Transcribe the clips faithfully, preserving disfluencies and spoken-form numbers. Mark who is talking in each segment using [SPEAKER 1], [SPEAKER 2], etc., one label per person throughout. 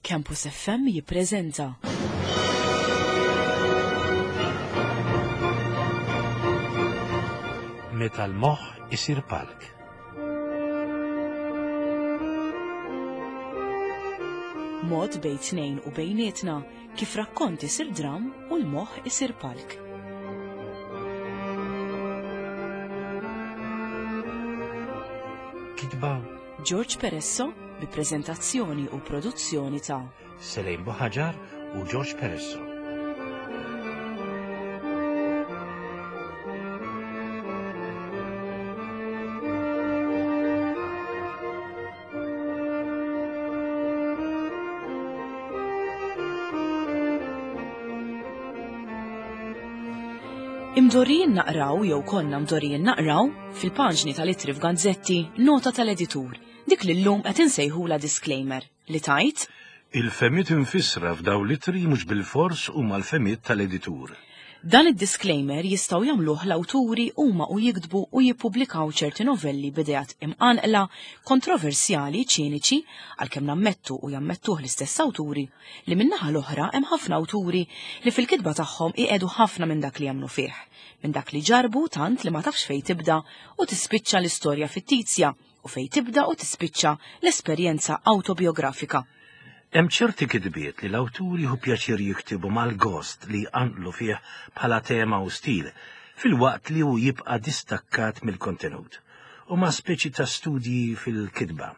[SPEAKER 1] Campus F M jippreżenta
[SPEAKER 2] Meta l-moħħ isir palk.
[SPEAKER 1] Mod bejn tnejn u bejnietna kif rakkont isir dram u l-moħħ isir palk.
[SPEAKER 2] Kitba
[SPEAKER 1] George Peresso bi preżentazzjoni u produzzjoni ta'
[SPEAKER 2] Selejn Buħaġar u George Peresso.
[SPEAKER 1] Imdorrijin naqraw jew konna mdorrijin naqraw fil-paġni tal-ittri f'gazzetti nota tal-editur, dik li llum qed insejħula disclaimer li tajt
[SPEAKER 2] Il-femiet infissra f'daw l-ittri mhux bil-fors huma l-femiet tal-editur.
[SPEAKER 1] Dan id-disclaimer jistgħu jagħmluh l-awturi huma u jiktbu u jippubblikaw ċerti novelli b'ideat imqanqla, kontroversjali, ċiniċi, għalkemm nammettu u jammettuh l-istess awturi, li min-naħa l-oħra hemm ħafna awturi li fil-kitba tagħhom iqiegħdu ħafna minn dak li jagħmlu fih, minn dak li ġarbu tant li ma tafx fejn tibda u tispiċċa l-istorja fittizja u fejn tibda u tispiċċa l-esperjenza awtobiografika.
[SPEAKER 2] Hemm ċerti kitbiet li l-awturi hu pjaċir jiktibu mal-gost li jqanqlu fih bħala tema u stil, filwaqt li hu jibqa' distakkat mill-kontenut. Huma speċi ta' studji fil-kitba.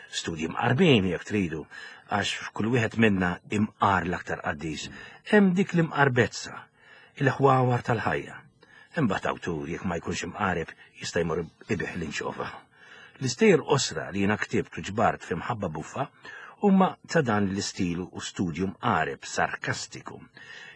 [SPEAKER 2] Studji mqarbin jekk tridu, għax f'kull wieħed minna imqar l-aktar qaddis, hemm dik l-imqarbezza, il-ħwawar tal-ħajja. Imbagħad awtur jekk ma jkunx imqareb jista' jmur ibih l-inxofa. L-istejjer qosra li jiena ktibt u ġbart fi Mħabba Buffa huma ta' dan l-istil u studju mqareb sarkastiku.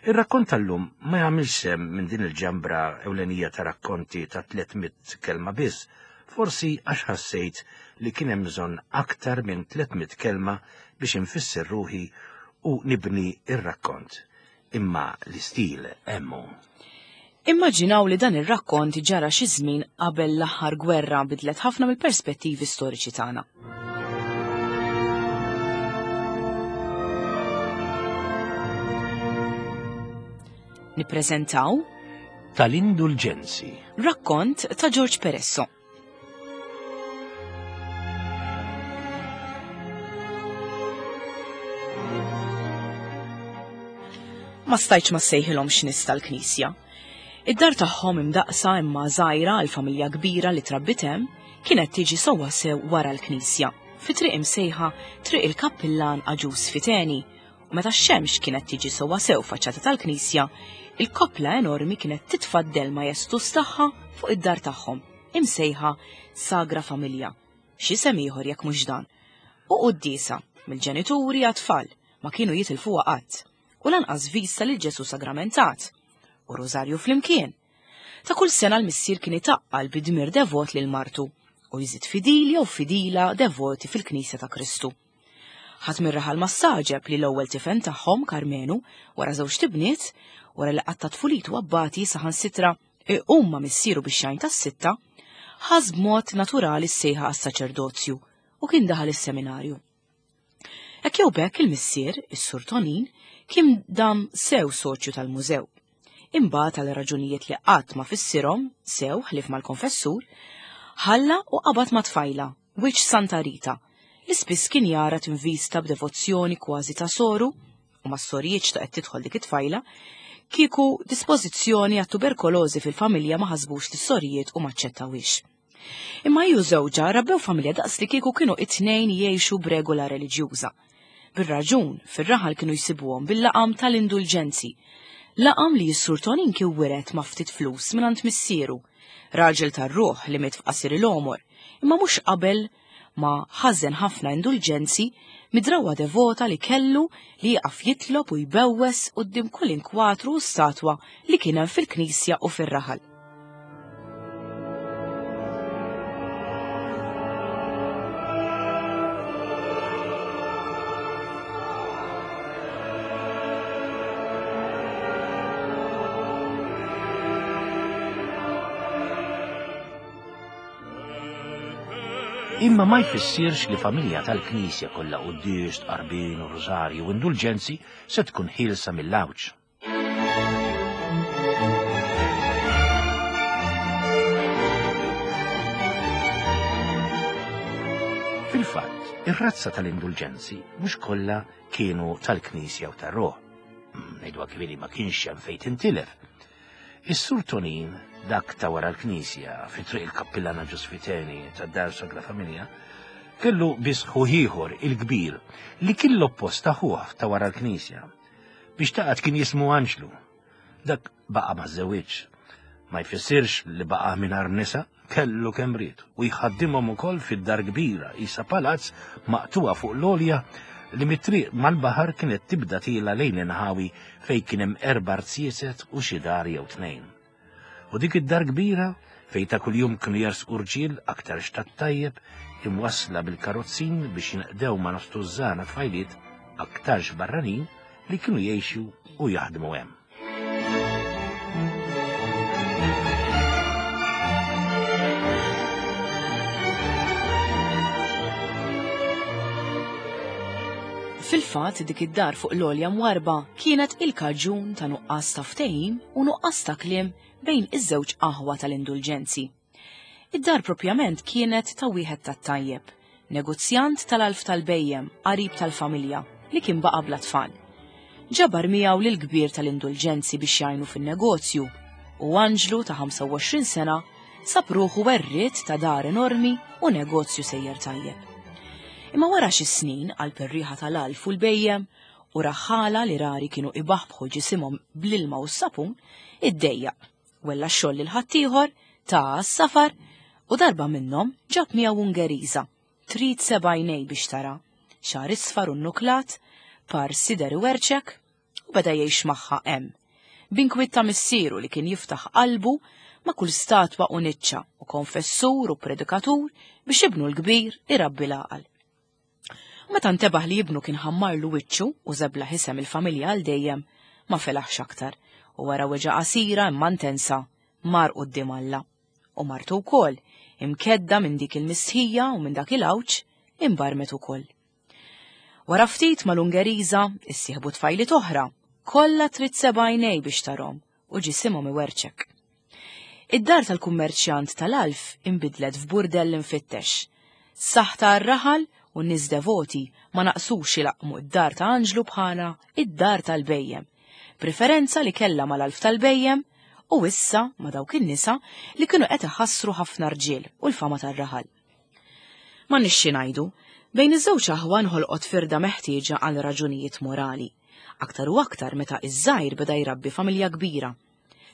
[SPEAKER 2] Ir-rakkont tal-lum ma jagħmilx sehem minn din il-ġambra ewlenija ta' rakkonti ta' tliet mitt kelma biss, forsi għax ħassejt li kien hemm bżonn aktar minn tliet mitt kelma biex infisser ruħi u nibni ir-rakkont. Imma l-istil hemmu.
[SPEAKER 1] Immaġinaw li dan ir-rakkont ġara xi żmien qabel l-aħħar gwerra bidlet ħafna mill-perspettivi storiċi tagħna. Nippreżentaw
[SPEAKER 2] Tal-Indulġenzi,
[SPEAKER 1] rakkont ta' George Peresso. Ma stajtx ma ssejħilhomx nies tal-Knisja. Id-dar tagħhom imdaqsa imma żgħira għal familja kbira li trabbit hemm kienet tiġi sewwa sew wara l-Knisja, fi triq imsejħa Triq il-Kappillan Aġus Fiteni, u meta x-xemx kienet tiġi sewwa sew faċċata tal-Knisja, il-koppla enormi kienet titfaddel majestus tagħha fuq id-dar tagħhom, imsejħa Sagra Familja, x'isem ieħor jekk mhux dan. U quddiesa mill-ġenituri għat-tfal ma kienu jitilfuha qatt, u lanqas vista lil Ġesu sagramentat, u rożarju flimkien. Ta' kull sena l-missier kien itaqqal bi dmir devot lil martu u jżid fidili jew fidila devoti fil-Knisja ta' Kristu. Ħadd mir-raħal ma ssaġeb li l-ewwel tifen tagħhom Karmenu wara żewġ tibniet, wara li qatta' tfulitu abbati saħansitra iqum ma' missieru bix-xajn tas-sitta, ħass b'mod naturali s-sejħa għas-saċerdozju u kien daħal is-seminarju. Hekk jew b'hekk il-missier, is-Sur Tonin, kien dam sew soċju tal-mużew. Imbagħad għal raġunijiet li qatt ma fissirhom sew ħlief mal-konfessur, ħalla u qabad ma' tfajla, wiċċ Santa Rita, li spiss kien jara tinvista b'devozzjoni kważi ta' soru, u ma' sorijiet ta' qed tidħol dik it-tfajla, kieku dispożizzjoni għat-tuberkolożi fil-familja ma ħasbux li sorijiet u maċċettawix. Imma hi u żewġha rabbew familja daqs li kieku kienu it-tnejn jgħixu b'regola reliġjuża. Bir-raġun, fir-raħal kienu jsibuhom bil-laqam tal-indulġenzi. Laqam li s-Sur Tonin kien wiret ma' ftit flus mingħand missieru, raġel tar-ruħ li miet f'qasir il-għomor, imma mhux qabel ma ħażen ħafna indulġenzi midrawa devota li kellu li jaqaf jitlob u jbewwes quddiem kull inkwatru u statwa li kien hemm fil-knisja u fir-raħal.
[SPEAKER 2] Imma ma jfissirx li familja tal-Knisja kollha quddies, tqarbin u rużarju u indulġenzi se tkun ħielsa mill-għawġ. Fil-fatt, ir-razza tal-indulġenzi mhux kollha kienu tal-Knisja u tar-ruħ. Ngħidu kbiri ma kienx hemm fejn tintilef. Is-Sur Tonin, dak ta' wara l-Knisja fi triq il-Kappillana Ġosfiteni tad-Dar Sagra Familja, kellu biss ħuh ieħor il-kbir li kien l-oppost ta' ħuh ta' wara l-Knisja. Biex taqgħod kien jismu Anġlu. Dak baqa' ma żewġ. Ma jfissirx li baqa' mingħajr nisa, kellu kemm ried u jħaddimhom ukoll fid-dar kbira isa palazz maqtuha fuq l-għolja li mit-triq mal-baħar kienet tibda tila lejn inħawi fejn kien hemm erba' rziezet u xi dar jew tnejn. U dik id-dar kbira fejn ta' kuljum kienu jersqu rġiel aktar xtat tajjeb imwassla bil-karozzin biex jinqdew ma' nofs tużżana tfajliet aktarx barranin li kienu jgħixu u jaħdmu hemm.
[SPEAKER 1] Fil-fatt dik id-dar fuq l-għolja mwarba kienet il-kaġun ta' nuqqas ta' ftehim u nuqqas ta' kliem bejn iż-żewġ aħwa tal-indulġenzi. Id-dar propjament kienet ta' wieħed tat-tajjeb, negozjant tal-alf tal-bejjem, qarib tal-familja, li kien baqa' bla tfal. Ġabar miegħu lil kbir tal-indulġenzi biex jgħinu fin-negozju u Anġlu ta' ħamsa u għoxrin sena sab ruħu werriet ta' dar enormi u negozju sejjer tajjeb. Imma wara xi snin għal perriħa tal-alf u l-bejjem u raħħala li rari kienu ibaħbħu ġisimhom bl-ilma u s-sapun, iddejjaq, wella x-xogħol lil ħaddieħor, ta' s-safar u darba minnhom ġab miegħu Ungeriża, trid seba' għajnej biex tara, xagħar isfar u nnuklat, par sider iwerċek u beda jgħix magħha hemm. B'inkwiet ta' missieru li kien jiftaħ qalbu ma' kull statwa u niċċa u konfessur u predikatur biex ibnu l-kbir irabbi l-għaqal. Meta ntebaħ li ibnu kien ħammarlu wiċċu u żebla ħisem il-familja għal dejjem, ma felaħx aktar u wara weġa qasira imma intensa mar quddiem Alla. U martu wkoll, imkedda minn dik il-mistħija u minn dak il-għawġ, imbarmet ukoll. Wara ftit mal-Ungeriża issieħbu tfajliet oħra, kollha trid seba' għajnej biex tarhom u ġisimhom iwerċek. Id-dar tal-kummerċjant tal-alf inbidlet f'burdell infittex. Saħta għar-raħal u n-nies devoti ma naqsux ilaqmu id-dar ta' Anġlu bħala id-dar tal-bejjem, preferenza li kellha mal-alf tal-bejjem u issa ma' dawk in-nisa li kienu qed iħassru ħafna rġiel u l-fama tar-raħal. Ma nixxi ngħidu, bejn iż-żewġ aħwa nħolqot firda meħtieġa għal raġunijiet morali, aktar u aktar meta iż-żgħir beda jrabbi familja kbira.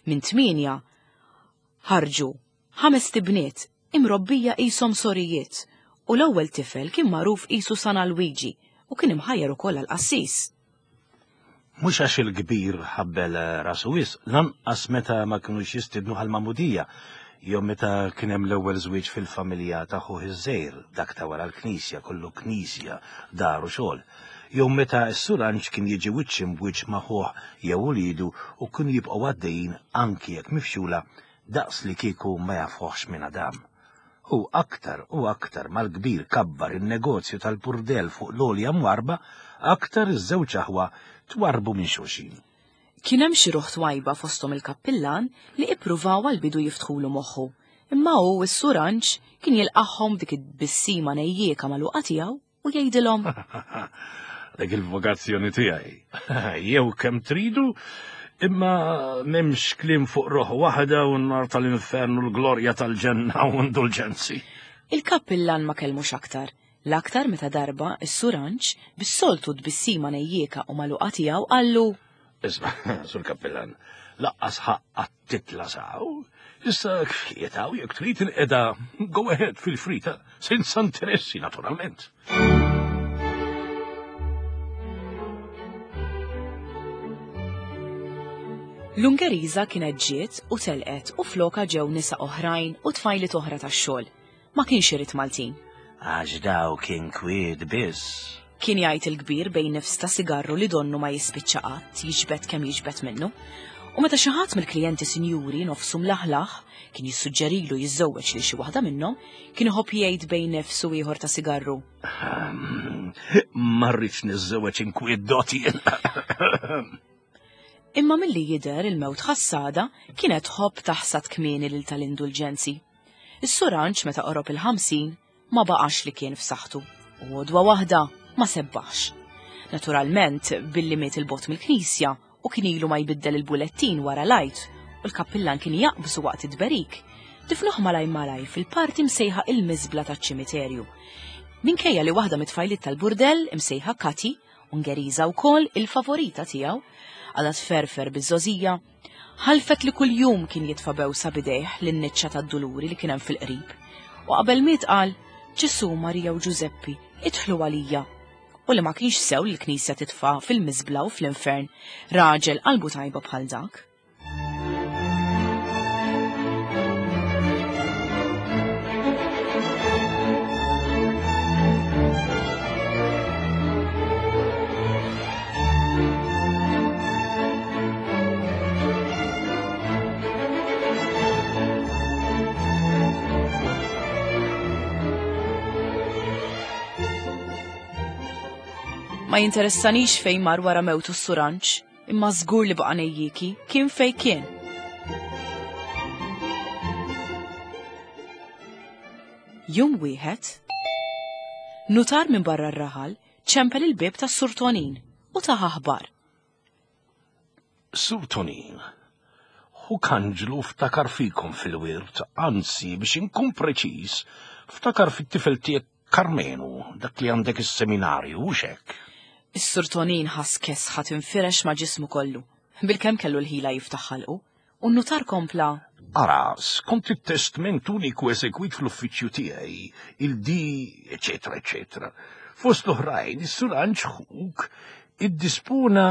[SPEAKER 1] Minn tmienja ħarġu ħames tibniet imrobbija qishom sorijiet u l-ewwel tifel kien magħruf qisu San Alwiġi u kien imħajjar ukoll għall-qassis.
[SPEAKER 2] Mhux għax il-kbir ħabbel rasu wisq, lanqas meta ma kinux jistidnu għall-magħmudija, jew meta kien hemm l-ewwel żwieġ fil-familja ta' ħuh iż-żgħir, dak ta' wara l-Knisja, kollu Knisja, dar u xogħol, jew meta s-Sur Anġ kien jiġi wiċċ imbwiċċ ma' ħuh jew uliedu u kienu jibqgħu għaddejjin anki jekk mifxula daqs li kieku ma jafuhx minn Adam. U aktar u aktar mal-kbir kabbar in-negozju tal-burdell fuq l-għolja mwarba, aktar iż-żewġ aħwa twarbu minn xulxin.
[SPEAKER 1] Kien hemm xi ruħ twajba fosthom il-kappillan li ippruvaw għall-bidu jiftħulu moħħu, imma hu s-Sur Anġ kien jilqagħhom dik it-tbissima nejjieka magħluqa tiegħu u jgħidilhom:
[SPEAKER 2] Dik il-vokazzjoni tiegħi. Jew kemm tridu, imma m'hemmx kliem fuq ruħ waħda u n-nar tal-infern u l-glorja tal-ġenna u indulġenzi.
[SPEAKER 1] Il-kappillan ma kellmux aktar, l-aktar meta darba s-Sur Anġ bis-soltu tbissima nejjieka u magħluqa tiegħu qallu:
[SPEAKER 2] Isma', Sur Kappillan, laqqas ħaqqa titla saw. Issa kfietaw jekk trid inqeda, go ahead fil-frita, senza interessi naturalment.
[SPEAKER 1] L-Ungeriża kienet ġiet u telqet u floka ġew nisa oħrajn u tfajliet oħra tax-xogħol. Ma kienx irid Maltin.
[SPEAKER 2] Għax daw kien kwiet biss.
[SPEAKER 1] Kien jgħid il-kbir bejn nifs ta' sigarru li donnu ma jispiċċa qatt, jiġbed kemm jiġbed minnu. U meta xi ħadd mill-klijenti sinjuri nofsu mlaħlaħ kien jissuġġerilu jiżżewweġ lil xi waħda minnhom, kien iħobb jgħid bejn nifsu ieħor ta' sigarru.
[SPEAKER 2] Ma rridx niżżewweġ inkwiet doti.
[SPEAKER 1] Imma milli jidher il-mewt ħassada kienet tħobb taħsad kmieni lil tal-indulġenzi. Is-Sur Anġ meta qorob il-ħamsin ma baqax li kien f'saħħtu u għodwa waħda ma sebbaħx. Naturalment, billi miet il-bot mill-knisja u kien ilu ma jbiddel il-bulettin wara l-Għid u l-kappillan kien jaqbżu waqt id-berik, difnuh malaj malaj fil-parti msejħa il-miżbla taċ-ċimiterju. Minkejja li waħda mit-tfajliet tal-burdell imsejħa Kati, Ungeriża wkoll il-favorita tiegħu, għadha tferfer biż-żożija, ħalfet li kuljum kien jitfa' bewsa bidejh lin-niċċa tad-duluri li kien hemm fil-qrib. U qabel miet qal, Ġesu, Marija u Ġużeppi, idħlu għalija. U li ma kienx sew li l-knisja titfa' fil-miżbla u fl-infern raġel qalbu tajba bħal dak. Ma jinteressanix fejn mar wara mewtu s-Sur Anġ, imma żgur li baqa' nejjiki kien fejn kien. Jum wieħed, nutar minn barra r-raħal ċempel il-bieb tas-Sur Tonin u taħ aħbar.
[SPEAKER 2] Sur Tonin, hu Kanġlu ftakar fikom fil-wirt, anzi biex inkun preċiż, ftakar fit-tifel tiegħek Karmenu, dak li għandek is-seminarju, u xek.
[SPEAKER 1] Is-Sur Tonin ħass kesħa tinfirex ma' ġismu kollu, bilkemm kellu l-ħila jiftaħ ħalqu, u n-nutar kompla.
[SPEAKER 2] Ara, skont it-testment uniku eżegwit fl-uffiċċju tiegħi, il-D, eċetera, eċetera. Fost l-oħrajn, is-Sur Anġ ħuk iddispona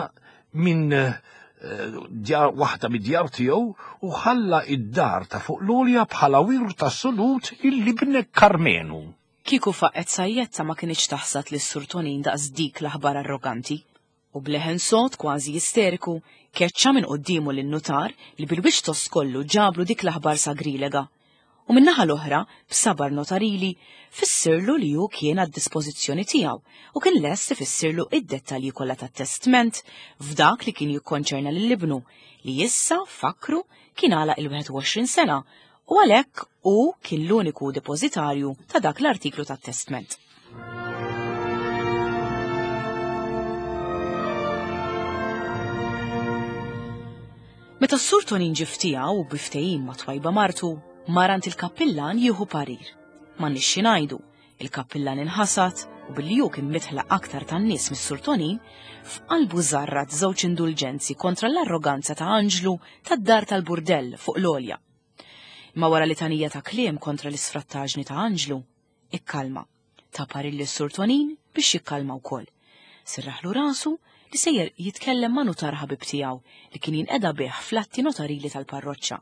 [SPEAKER 2] minn, eh, djar, waħda mid-djar tiegħu u ħalla id-dar ta' fuq l-għolja bħala wirt assolut il-ibnek Karmenu.
[SPEAKER 1] Kieku faqet sajjetta ma kienx taħsad lis Sur Tonin daqs dik l-aħbar arroganti. U bleħen sod kważi isteriku keċċa minn qoddimu lin-nutar li bil-wiċċ tost kollu ġablu dik l-aħbar sagrilega. U min-naħa l-oħra, b'sabar notarili, fissirlu li hu kien għad-dispożizzjoni tiegħu u kien lest ifissirlu id-dettalji kollha tat-testment f'dak li kien jikkonċerna lil ibnu li issa fakru kien għalaq il-wieħed u għoxrin sena u għalhekk hu kien l-uniku depożitarju ta' dak l-artiklu tat-testment. Meta s-Sur Tonin ġie ftiegħu u biftehim ma' twajba martu, mar għand il-kappillan jieħu parir. Ma nixxi ngħidu, il-kappillan inħasad u billi hu kien mitħlaq aktar tan-nies mis-Sur Tonin, f'qalbu żarrat żewġ indulġenzi kontra l-arroganza ta' Anġlu tad-dar tal-burdell fuq l-għolja. Ma wara litanija ta' kliem kontra l-isfrattaġni ta' Anġlu, ikkalma. Ta' parir lis-Sur Tonin biex jikkalma wkoll. Sirraħlu rasu li sejjer jitkellem ma' nutar ħabib tiegħu li kien jinqeda bih fl-atti notarili tal-parroċċa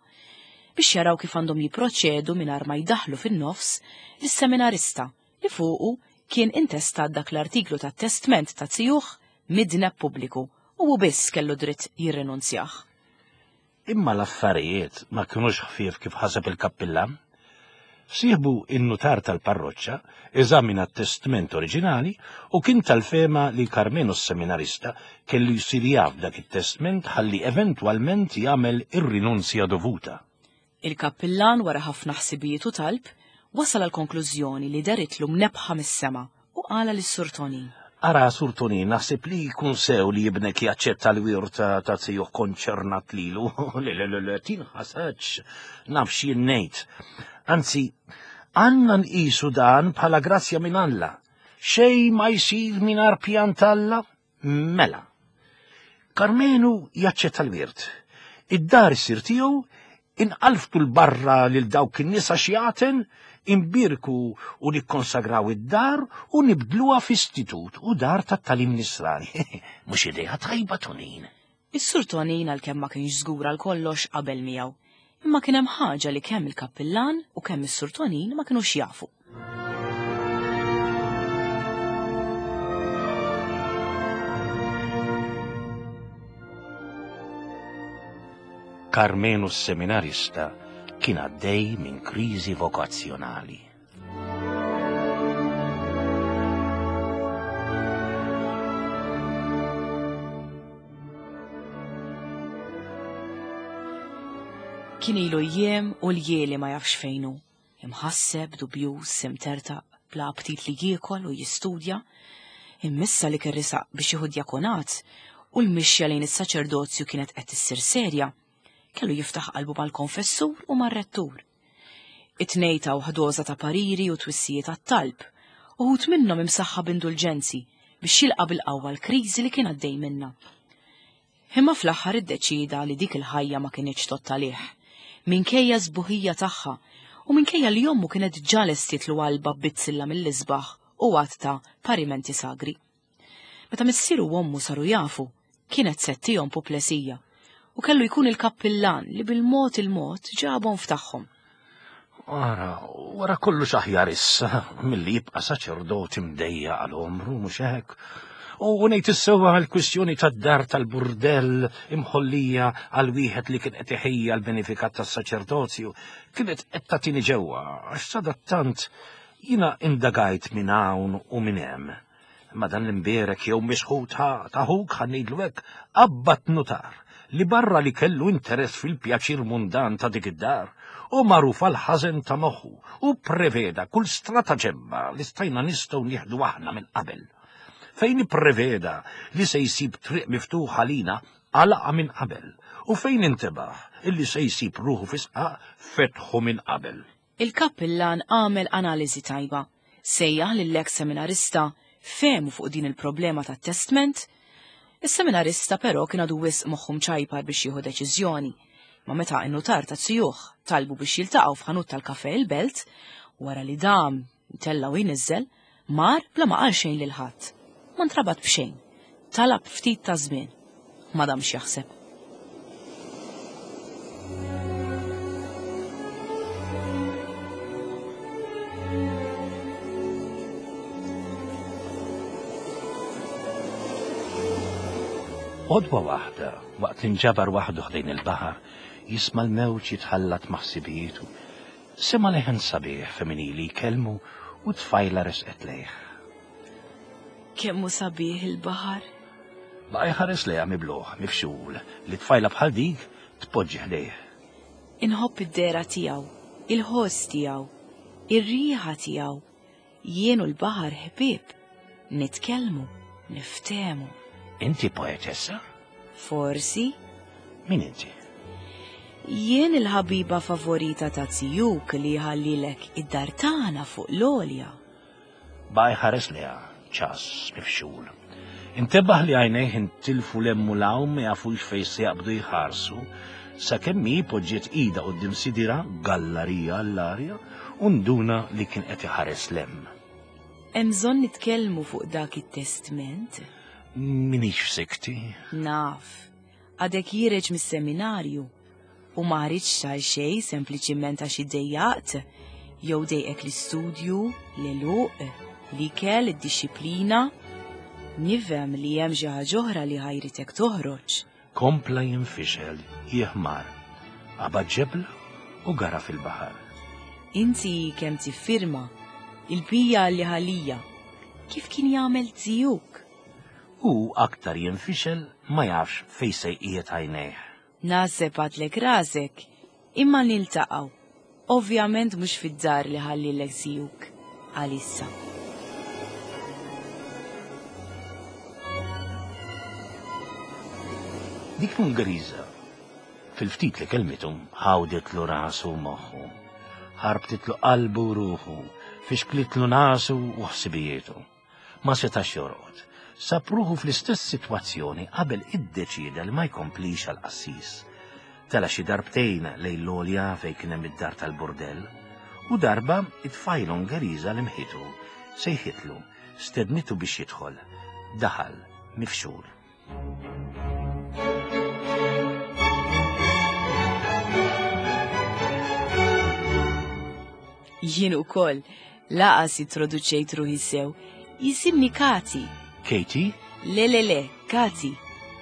[SPEAKER 1] biex jaraw kif għandhom jipproċedu mingħajr ma jdaħlu fin-nofs lis-seminarista li fuqu kien intestat dak l-artiklu tat-testment ta' zijuh midneb pubbliku u hu biss kellu dritt jirrinunzjah.
[SPEAKER 2] Imma l-affarijiet ma kinux ħfief kif ħaseb il-kappillan. Sieħbu in-nutar tal-parroċċa eżamina t-testment oriġinali u kien tal-fema li Karmenu s-seminarista kellu jsir jaf dak it-testment ħalli eventwalment jagħmel ir-rinunzja dovuta.
[SPEAKER 1] Il-kappillan wara ħafna ħsibijiet u talb wasal għal konklużjoni li daritlu mnebħa mis-sema u qala lis-Sur Tonin.
[SPEAKER 2] Ara, Sur Tonin, naħseb li jkun sew li jibnek jaċċetta l-wirt ta', ta' zijuh konċernat lilu. Le, le, le, le, tinħasadx, naf x'jien ngħid. Anzi, għandna nqisu dan bħala grazzja minn Alla. Xejn ma jsir mingħajr pjan t'Alla? Mela. Karmenu jaċċetta l-wirt. Id-dar issir tiegħu, inqalftu l-barra lil dawk in-nisa xjaten, imbirku u nikkonsagraw id-dar u nibdluha f'istitut u dar tat-talim nisrani. Mhux idea tajba, Tonin.
[SPEAKER 1] Is-Sur Tonin għalkemm ma kienx żgur għal kollox qabel miegħu, imma kien hemm ħaġa li kemm il-kappillan u kemm is-Sur Tonin ma kinux jafu.
[SPEAKER 2] Karmenu s-seminarista kien għaddej minn kriżi vokazzjonali.
[SPEAKER 1] Kien ilu jiem u ljieli ma jafx fejn hu. Imħasseb, dubjuż, imtertaq, bla aptit li jiekol u jistudja. Imma issa li kien resaq biex jieħu djakonat u l-mixja lejn is-saċerdozju kienet qed issir serja, kellu jiftaħ qalbu mal-konfessur u mar-rettur. It-tnejn taw doża ta' pariri u twissijiet għat-talb, uħud minnhom imsaħħa b'indulġenzi biex jilqa' bil-qawwa l-kriżi li kien għaddej minnha. Imma fl-aħħar iddeċieda li dik il-ħajja ma kinitx tgħodd għalih, minkejja s-sbuħija tagħha u minkejja li ommu kienet ġa lestietlu qalbha b'bizzilla mill-isbaħ u għadd ta' parimenti sagri. Meta missieru u ommu saru jafu, kienet se ttihom puplesija u kellu jkun il-kappillan li bil-mod il-mod ġabhom f'tagħhom.
[SPEAKER 2] Ara, wara kollox aħjar issa milli jibqa' saċerdot imdejjaq għal għomru, mhux hekk? U ngħid is-sewwa għall-kwistjoni tad-dar tal-burdell imħollija għal wieħed li kien qed iħejja l-benefikat tas-saċerdozju kienet qed tagħtini ġewwa għax sadattant jiena indagajt minn hawn u minn hemm. Ma dan l-imbierek jew misħut ta' ħuk ħa ngħidlu hekk qabad nutar li barra li kellu interess fil-pjaċir mundan ta' dik id-dar u magħruf għal ħażen ta' moħħu u preveda kull strataġemma li stajna nistgħu nieħdu aħna minn qabel. Fejn ippreveda li se jsib triq miftuħa lina għalaqa minn qabel u fejn intebaħ illi se jsib ruħu fi sqaq fetħu minn qabel.
[SPEAKER 1] Il-kappillan għamel analiżi tajba, sejjaħ lill-eks seminarista fehmu fuq din il-problema tat-testment. Is-seminarista però kien għadu wisq moħħu mċajpar biex jieħu deċiżjoni. Ma meta n-nutar ta' zijuh talbu biex jiltaqgħu f'ħanut tal-kafe il-belt, wara li dam tella u jniżżel, mar bla ma qal xejn lil ħadd. Ma ntrabat b'xejn. Talab ftit ta' żmien. Ma damx jaħseb.
[SPEAKER 2] Għodwa waħda, waqt li nġabar waħdu ħdejn il-baħar, jisma' l-mewġ jitħallat ma' ħsibijietu. Sema' leħen sabiħ femminili jkellmu u tfajla resqet lejh.
[SPEAKER 1] Kemm hu sabiħ il-baħar?
[SPEAKER 2] Baqa' jħares lejha mibluħ, mifxul, li tfajla bħal dik tpoġġi ħdejh.
[SPEAKER 1] Inħobb id-dehra tiegħu, il-ħoss tiegħu, ir-riħa tiegħu. Jien u l-baħar ħbieb, nitkellmu, niftehmu.
[SPEAKER 2] Inti poetessa?
[SPEAKER 1] Forsi.
[SPEAKER 2] Min inti?
[SPEAKER 1] Jien il-ħabiba favorita ta' zijuk li ħallilek id-dar tagħna fuq l-għolja.
[SPEAKER 2] Baqa' jħares lejha, ċas, mifxul. Intebaħ li għajnejh intilfu 'l hemm u 'l hawn ma jafux fejn se jaqbdu jħarsu, sakemm hi poġġiet idha quddiem sidira gallarija għall-arja u nduna li kien qed iħares 'l hemm.
[SPEAKER 1] Hemm bżonn nitkellmu fuq dak it-testment?
[SPEAKER 2] Minix f'sikti.
[SPEAKER 1] Naf, għadek ħiereġ mis-seminarju u ma ħriġtx għal xejn sempliċiment għax iddejjaqt jew dejqek l-istudju, l-għeluq, l-ikel, id-dixxiplina. Nifhem li hemm xi ħaġa oħra li ħajritek toħroġ.
[SPEAKER 2] Kompla jinfixel, jiħmar, qabad ġebla u gara fil-baħar.
[SPEAKER 1] Inti kemm tiffirma il-bija li ħalija, kif kien jagħmel zijuk?
[SPEAKER 2] U aktar jinfixel ma jafx fejn se jqiegħed għajnejh.
[SPEAKER 1] Naħseb għadlek rasek, imma niltaqgħu. Ovvjament mhux fid-dar li ħallilek zijuk għalissa.
[SPEAKER 2] Dik l-Ungeriża, fil-ftit li kelmitu, ħawditlu rasu u moħħu, ħarbtitlu qalbu u ruħu, fixklitlu nasu u ħsibijietu. Ma setax jorqod. Sab ruħu fl-istess sitwazzjoni qabel iddeċieda li ma jkomplix għal qassis. Tela xi darbtejn lejn l-għolja fejn kien hemm id-dar tal-burdell, u darba it-tfajla Ungeriża li mħitu sejħitlu, stednitu biex jidħol. Daħal mifxul.
[SPEAKER 1] Jien ukoll laqas introduċejt ruħi sew. Jisimni Kati.
[SPEAKER 2] Katie?
[SPEAKER 1] Le, le, le, Kati.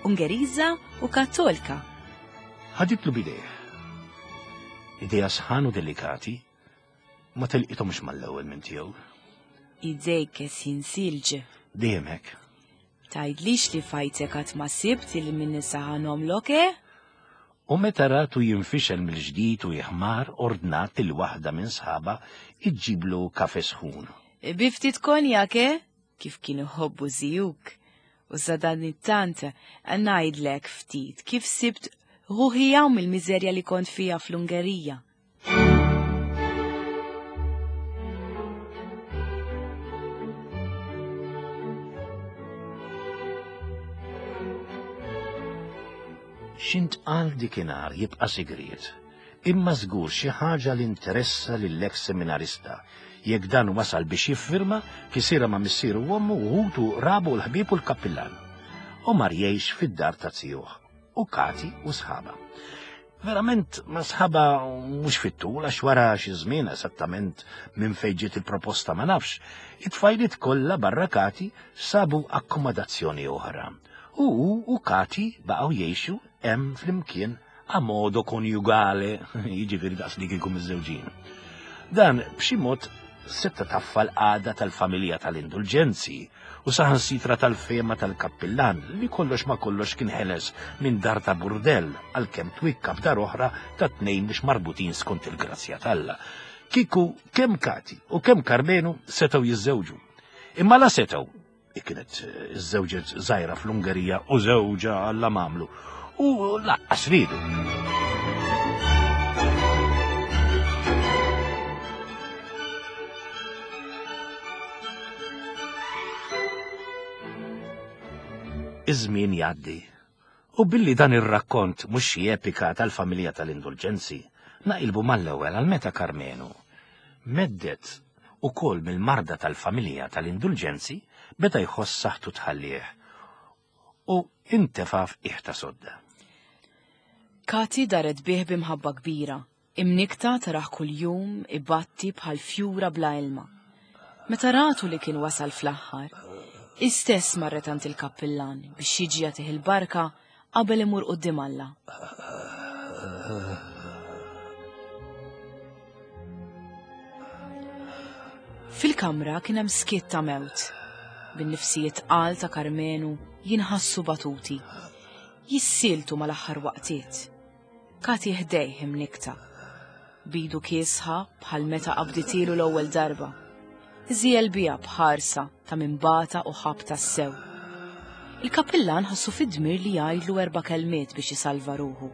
[SPEAKER 1] Ungeriża u Kattolka.
[SPEAKER 2] Ħaditlu b'idejh. Idejha sħan u delikati, ma telqithomx mal-ewwel minn tiegħu.
[SPEAKER 1] Idejk jinsilġ.
[SPEAKER 2] Dejjem hekk.
[SPEAKER 1] Tgħidlix li f'ħajtek qatt ma sibt il min isaħanhomlok, eh?
[SPEAKER 2] U meta ratu jinfixel mill-ġdid u jiħmar, ordnat lil waħda minn sħaba iġġiblu kafe sħun.
[SPEAKER 1] Bi ftit konjak, eh? Kif kien iħobbu zijuk. U sadanittant ngħidlek ftit kif sibt ruħi hawn mill-miżerja li kont fija fl-Ungerija.
[SPEAKER 2] X'intqal dikinhar jibqa' sigriet, imma żgur xi ħaġa li interessa lill-eks seminarista jekk dan wasal biex jiffirma kisira ma' missieru u ommu u ħutu rabu l-ħbieb u l-kappillan. U mar jgħix fid-dar ta' zijuh u Kati u sħaba. Verament ma' sħaba mhux fit-tul għax wara xi żmien esattament minn fejn ġiet il-proposta ma nafx, it-tfajliet kollha barra Kati sabu akkomodazzjoni oħra. U hu u Kati baqgħu jgħixu hemm flimkien a modo konjugale, jiġifieri daqs li kieku miżżewġin. Dan b'xi mod setta taffa l-qagħda tal-familja tal-indulġenzi u saħansitra tal-fehma tal-kappillan li kollox ma kollox kien ħeles minn dar ta' burdell għalkemm twikka b'dar oħra ta' tnejn mhux marbutin skont il-grazzja t'Alla. Kieku kemm Kati u kemm Karmenu setgħu jiżżewġu. Imma la setgħu, kienet iżżewġet żgħira fl-Ungerija u żewġa Alla m'għamlu, u lanqas riedu. Iż-żmien jgħaddi. U billi dan ir-rakkont mhux xi epika tal-familja tal-indulġenzi, naqilbu mal-ewwel għal meta Karmenu meddet ukoll mill-marda tal-familja tal-indulġenzi beda jħoss saħħtu tħallih u intefa' f'qiegħ ta' sodda.
[SPEAKER 1] Kati daret bih b'imħabba kbira, imnikta taraħ kuljum ibatti bħal fjura bla ilma. Meta ratu li kien wasal fl-aħħar, istess marret għand il-kappillan biex jiġi jagħtih il-barka qabel imur quddiem Alla. Fil-kamra kien hemm skiet ta' mewt. Bin-nifsijiet tqal ta' Karmenu jinħassu batuti. Jissieltu mal-aħħar waqtiet. Kati ħdejh imnikta. Bidu kiesħa bħal meta qabditilu l-ewwel darba. Żiel biha b'ħarsa ta' min bata u ħab tassew. Il-kappillan ħassu fid-dmir li jgħidlu erba' kelmiet biex isalva ruħu.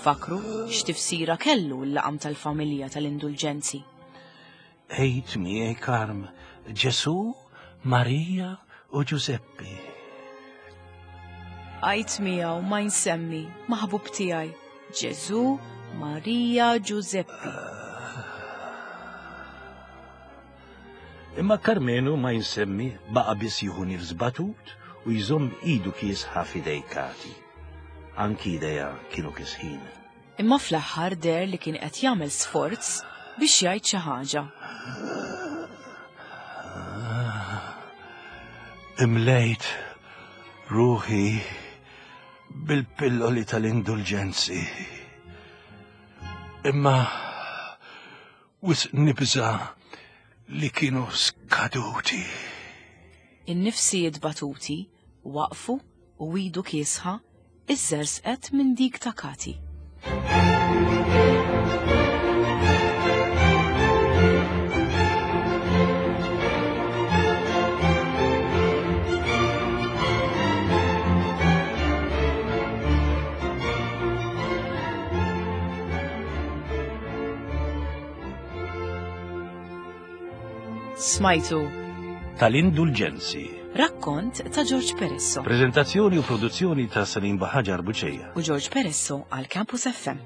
[SPEAKER 1] Fakru x'tifsira kellu l-laqam tal-familja tal-indulġenzi.
[SPEAKER 2] Ejt miegħi Karm, Ġesu, Marija u Ġużeppi.
[SPEAKER 1] Għajt miegħu ma nsemmi maħbub tiegħi, Ġesu, Marija, Ġużeppi.
[SPEAKER 2] Imma Karmenu ma jinsemmi baqa' biss jieħu nifs batut u jżomm idu kiesħa f'idej Kati. Anki idejha kienu kisħin.
[SPEAKER 1] Imma fl-aħħar deher li kien qed jagħmel sforz biex jgħid xi ħaġa.
[SPEAKER 2] Imlejt ruħi bil-pilloli tal-indulġenzi. Imma wisq nibża' li kienu skaduti.
[SPEAKER 1] In-nifsijiet batuti waqfu u idu kiesħa iżżersqet minn dik ta' Kati. Smajtu
[SPEAKER 2] Tal-Indulġenzi.
[SPEAKER 1] Rakkont ta' George Peresso.
[SPEAKER 2] Prezentazzjoni u produzzjoni ta' Salim Baħaġar Buċeja.
[SPEAKER 1] U George Peresso għal Campus F M.